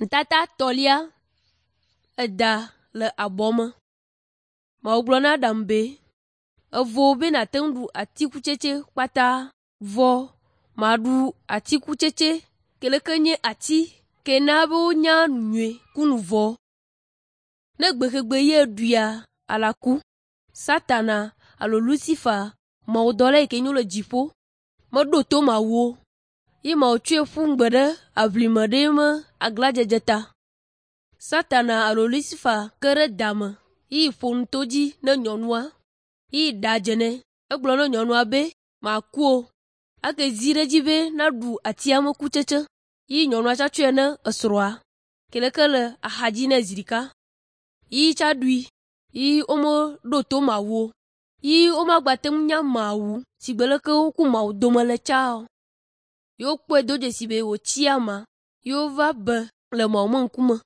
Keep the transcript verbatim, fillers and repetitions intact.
Nutata tɔlia, eda le abɔ me. Mawu gblɔ na Adam be, “Evo be nàte ŋu ɖu atikutsetse kpata vɔ maɖu atikutsetse ke leke nye ati ke na be wonya nu nyui ku nu vɔ̃. Ne gbexegbe ye ɖuia, alaku.” Satana alo Lucifer, mawudɔla yi ke nyo le dziƒo, meɖo to Mawu o ye Mawu tsɔe ƒu gbe ɖe aʋlime ɖe eme aglãdzedze ta. Satana alo Lucifer ke ɖe da me yi ƒo nu to dzi ne nyɔnua yi ɖa dze nɛ. Egblɔ na nyɔnua be maku o. Ake zi ɖe edzi be naɖu atia me kutsetse yi nyɔnua tsa tsɔe ne esrɔ̃a ke leke le axadzi nɛ zi ɖeka. Yi tsa ɖui yi womeɖo to Mawu o. Yi womagbate ŋu nya Mawu si gbe leke wo ku Mawu dome le tsa o. Ye wokpɔe do dzesi be wòtsi ama ye wova be le Mawu me ŋkume.